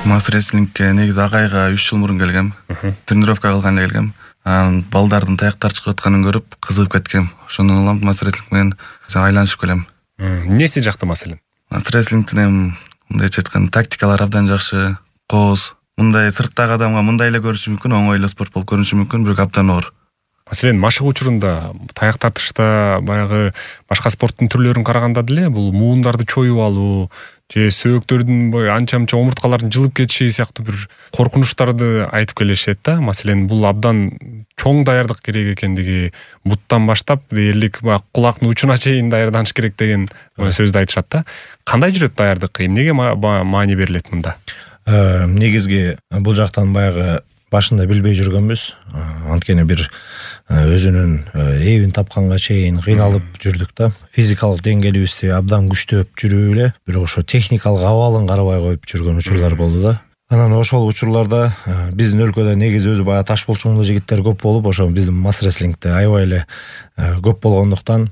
Мастер рестлингке негизи агайга 3 жыл мурун келгем. Тренировка кылганда келгем. Балдардын таяктар чыгып атканын көрүп кызыгып кеткем. Ошондон улам мастер рестлинг менен айланышып келем. Эмнеси жакты маселен? Мастер рестлингтин мындайча айтканда тактикалар абдан жакшы, кооз. Мындай сырттагы адамга мындай эле көрүнүшү мүмкүн, оңой эле спорт болуп көрүнүшү мүмкүн, бирок абдан оор. Маселен, машык учурунда таяк тартышта баягы башка спорттун түрлөрүн караганда деле бул муундарды чоюп алуу же сөөктөрдүн анча-мынча омурткалардын жылып кетиши сыяктуу бир коркунучтарды айтып келишет да. Маселен, бул абдан чоң даярдык керек экендиги, буттан баштап дээрлик кулактын учуна чейин даярданыш керек деген сөздү айтышат да. Кандай жүрөт даярдык? Эмнеге маани берилет мында? Негизги бул жактан баягы башында билбей жүргөнбүз. Анткени бир өзүнүн эбин тапканга чейин кыйналып жүрдүк да. Физикалык деңгээлибизди абдан күчтөп жүрүп эле, бирок ошо техникалык абалын карабай коюп жүргөн учурлар болду да. Анан ошол учурларда биздин өлкөдө негизи өзү баягы таш булчуңдуу жигиттер көп болуп, ошо биздин мастер рестлингде аябай эле көп болгондуктан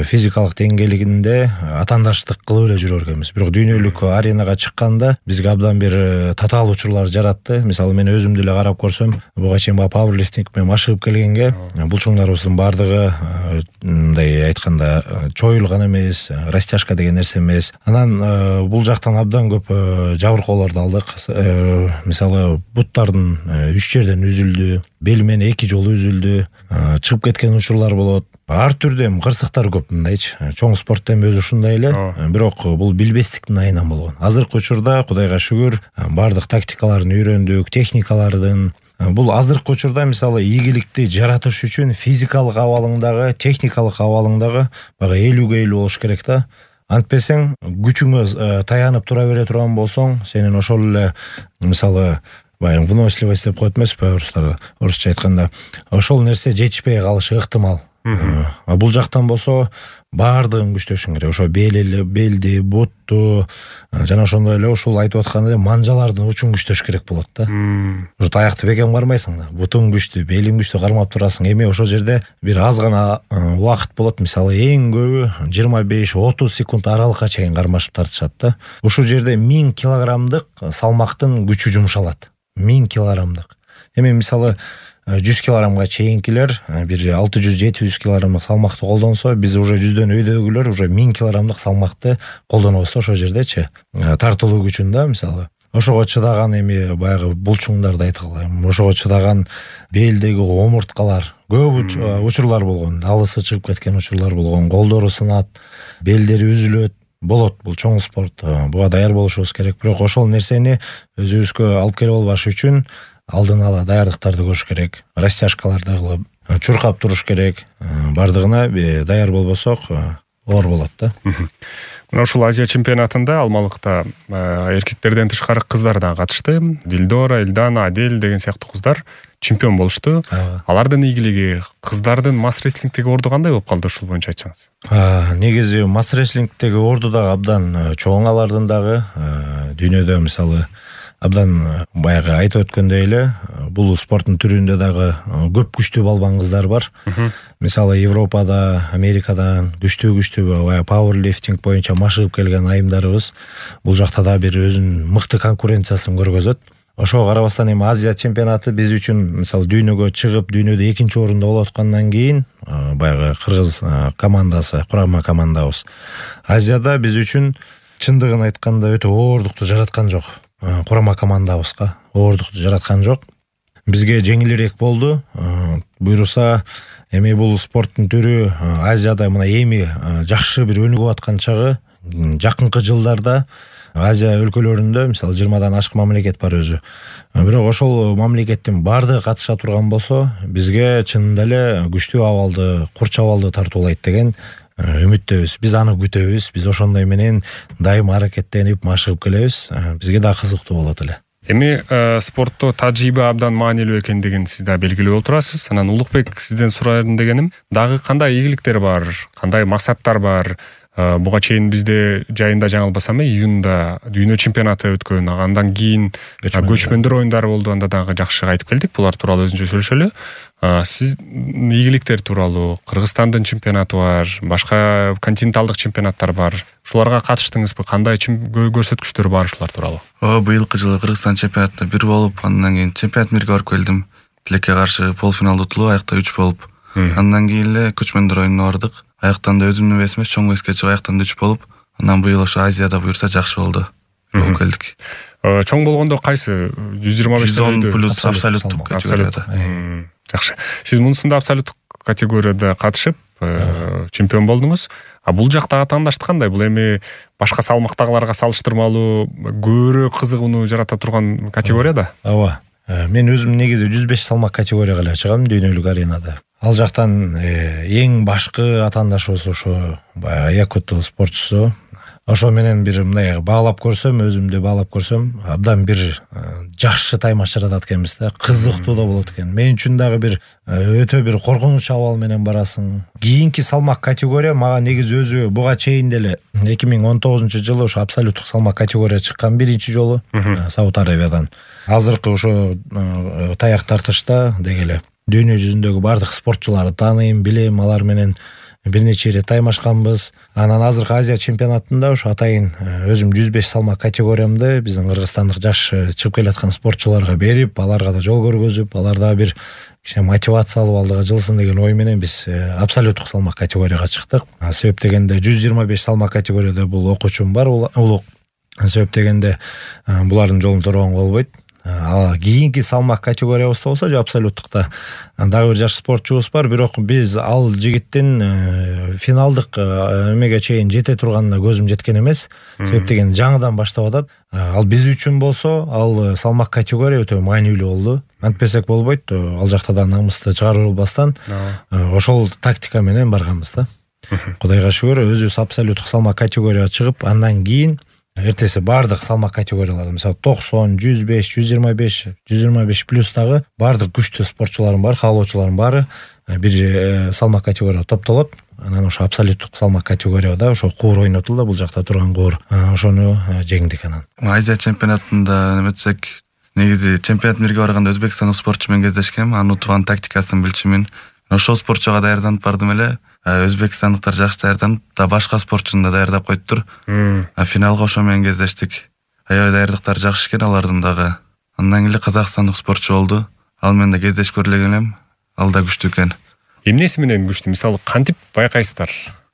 физикалык деңгээлигинде атаандаштык кылып эле жүрөр экенбиз. Бирок дүйнөлүк аренага чыкканда бизге абдан бир татаал учурлар жаратты. Мисалы мен өзүм деле карап көрсөм, буга чейин пауэрлифтинг менен машыгып келгенге булчуңдарыбыздын бардыгы мындай айтканда чоюлган эмес, растяжка деген нерсе эмес. Анан бул жактан абдан көп жабыркоолорду алдык. Мисалы буттардын 3 жерден үзүлдү, бел менен 2 жолу үзүлдү, чыгып кеткен учурлар болот. Ар түрдүү кырсыктар көп мындайчы. Чоң спортто өзү ушундай эле, бирок бул билбестиктин айынан болгон. Азыркы учурда Кудайга шүгүр, бардык тактикаларын үйрөндүк, техникалардын. Бул азыркы учурда мисалы ийгиликти жаратыш үчүн физикалык абалыңдагы, техникалык абалыңдагы бага 50-50 болуш керек да. Антпесең, күчүңө таянып тура бере турган болсоң, сенин ошол эле мисалы баягы выносливость деп коет эмеспи орустар, орусча айтканда, ошол нерсе жетишпей калышы ыктымал. Бул жактан болсо баардыгын күчтөшүң керек. Ошо белди, бутту, жана ошондой эле ушул айтып аткан эле манжалардын учун күчтөш керек болот да. Ошо таякты бекем кармайсың да. Бутуң күчтүү, белиң күчтүү кармап турасың. Эми ошол жерде бир аз гана убакыт болот. Мисалы эң көбү 25-30 секунд аралыкка чейин кармашып тартышат да. Ушул жерде 1000 килограммдык салмактын күчү жумшалат. 1000 килограммдык. Эми мисалы 100 килограммга чейинкилер бир 600-700 килограммдык салмакты колдонсо, биз уже жүздөн өйдөгүлөр уже 1000 килограммдык салмакты колдонобуз ошол жердечи. Тартылуу күчүн да мисалы. Ошого чыдаган эми баягы булчуңдарды айткыла. Ошого чыдаган белдеги омурткалар көп учурлар болгон. Алысы чыгып кеткен учурлар болгон. Колдору сынат, белдери үзүлөт. Болот, бул чоң спорт. Буга даяр болушубуз керек. Бирок ошол нерсени өзүбүзгө алып келип албаш үчүн алдын ала даярдыктарды көрүш керек. Растяжкаларды кылып, чуркап туруш керек. Бардыгына даяр болбосок оор болот да. Мына ушул Азия чемпионатында Алмалыкта эркектерден тышкары кыздар да катышты. Дилдора, Эльдана, Адель деген сыяктуу кыздар чемпион болушту. Алардын ийгилиги, кыздардын мастер рестлингдеги орду кандай болуп калды, ушул боюнча айтсаңыз? Негизи мастер рестлингдеги орду дагы абдан чоң, алардын дагы. Дүйнөдө мисалы абдан баягы айтып өткөндөй эле, бул спорттун түрүндө дагы көп күчтүү балбан кыздар бар. Мисалы Европада, Америкадан күчтүү пауэрлифтинг боюнча машыгып келген айымдарыбыз бул жакта да бир өзүнүн мыкты конкуренциясын көргөзөт. Ошого карабастан эми Азия чемпионаты биз үчүн мисалы дүйнөгө чыгып, дүйнөдө 2-нчи орунда болуп аткандан кийин баягы кыргыз командасы, курама командабыз Азияда биз үчүн чындыгын айтканда өтө оордукту жараткан жок. Курама командабызга оордукту жараткан жок. Бизге жеңилирээк болду. Буйруса, эми бул спорттун түрү Азияда мына эми жакшы бир өнүгүп аткан чагы, жакынкы жылдарда Азия өлкөлөрүндө мисалы 20дан ашык мамлекет бар өзү. Бирок ошол мамлекеттин бардыгы катыша турган болсо, бизге чынында эле күчтүү абалды, курч абалды тартуулайт деген үмүттөбүз. Биз аны күтөбүз. Биз ошондой менен дайыма аракеттенип машыгып келебиз. Бизге да кызыктуу болот эле. Эми спортто тажрыйба абдан маанилүү экендигин сиз да белгилеп отурасыз. Анан Улукбек, сизден сурайын дегеним, дагы кандай ийгиликтер бар, кандай максаттар бар? Буга чейин бизде жайында жаңылбасам июнда дүйнө чемпионаты өткөн, андан кийин көчмөндөр оюндары болду, анда дагы жакшы кайтып келдик. Булар тууралуу өзүнчө сүйлөшөлү. Сиз ийгиликтер тууралуу, Кыргызстандын чемпионаты бар, башка континенталдык чемпионаттар бар. Ушуларга катыштыңызбы? Кандай көрсөткүчтөр бар ушулар тууралуу? Быйылкы жылы Кыргызстан чемпионатына 1 болуп, андан кийин чемпионат мирге барып келдим. Тилекке каршы полуфиналда утулуп, аякта 3 болуп. Андан кийин эле көчмөндөр оюнуна бардык. Аяктан да өзүмдүн весиме чоң веске чыгып, аяктан да 3 болуп, андан быйыл ошо Азияда буюрса жакшы болду. Болуп келдик. Чоң болгондо кайсы? 125 110 плюс абсолюттук категорияда. Жакшы. Сиз мунусунда абсолюттук категорияда катышып, чемпион болдуңуз. Бул жактагы тандашты кандай? Бул эми башка салмактагыларга салыштырмалуу көбүрөөк кызыгууну жарата турган категория да? Ооба. Мен өзүм негизи 105 салмак категорияга эле чыгам дүйнөлүк аренада. Ал жактан эң башкы атаандашыбыз ошо Якут спортчусу. Ошо менен бир мындай баалап көрсөм, өзүмдү баалап көрсөм, абдан бир жакшы таймаш жаратат экенбиз да. Кызыктуу да болот экен. Мен үчүн дагы бир өтө бир коркунуч абал менен барасың. Кийинки салмак категория мага негизи өзү буга чейин деле 2019-жылы ошо абсолюттук салмак категория чыккан биринчи жолу Сауд Арабиядан. Азыркы ошо таяк тартышта деги эле дүйнө жүзүндөгү бардык спортчуларды тааныйм, билем, алар менен бир нече ирет таймашканбыз. Анан азыркы Азия чемпионатында ошо атайын өзүм 105 салмак категориямды биздин кыргызстандык жаш чыгып келаткан спортчуларга берип, аларга да жол көргөзүп, аларда бир кичине мотивация алып алдыга жылсын деген ой менен биз абсолюттук салмак категорияга чыктык. Себеп дегенде 125 салмак категорияда бул окуучум бар, улук. Себеп дегенде булардын жолун торгонго болбойт. Кийинки салмак категориябызда болсо же абсолюттукта дагы бир жаш спортчубуз бар, бирок биз ал жигиттин финалдык эмеге чейин жете турганына көзүм жеткен эмес. Себеп деген жаңыдан баштап атат. Ал биз үчүн болсо ал салмак категория өтө маанилүү болду. Антпесек болбойт. Ал жакта да намысты чыгарып албастан ошол тактика менен барганбыз да. Кудайга шүгүр, өзүбүз абсолюттук салмак категорияга чыгып, андан кийин эртеси бардык салмак категорияларды, мисалы 90, 105, 125, 125 плюс дагы бардык күчтүү спортчуларым бар, каалоочуларым баары бир салмак категорияга топтолот. Анан ошо абсолюттук салмак категорияда ошо куур ойнотулду, бул жакта турган куур. Ошону жеңдик анан. Азия чемпионатында неметсек, негизи чемпионат мирге барганда өзбекстандык спортчу менен кездешкем, анын утуган тактикасын билчүмүн. Ошол спортчуга даярданып бардым эле. Өзбекстандыктар жакшы даярданып, да башка спортчуну да даярдап коюптур. Финалга ошо менен кездештик. Аябай даярдыктары жакшы экен алардын дагы. Андан кийин кызакстандык спортчу болду. Ал менен да кездешип көргөн элем. Ал да күчтүү экен. Эмнеси менен күчтүү? Мисалы кантип байкайсыздар?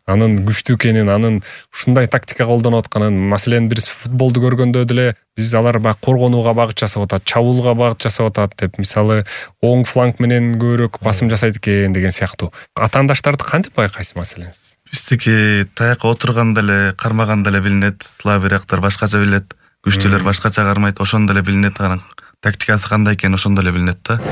Анын күчтүү экенин, анын ушундай тактика колдонуп атканын, маселен биз футболду көргөндө деле биз алар баягы коргонууга багыт жасап атат, чабуулга багыт жасап атат деп, мисалы оң фланг менен көбүрөөк басым жасайт экен деген сыяктуу. Атаандаштарды кантип байкайсыз маселен? Биздики таякка отурганда эле, кармаганда эле билинет, слабыйраактар башкача билет, күчтүүлөр башкача кармайт, ошондо эле билинет, анан тактикасы кандай экени ошондо эле билинет да.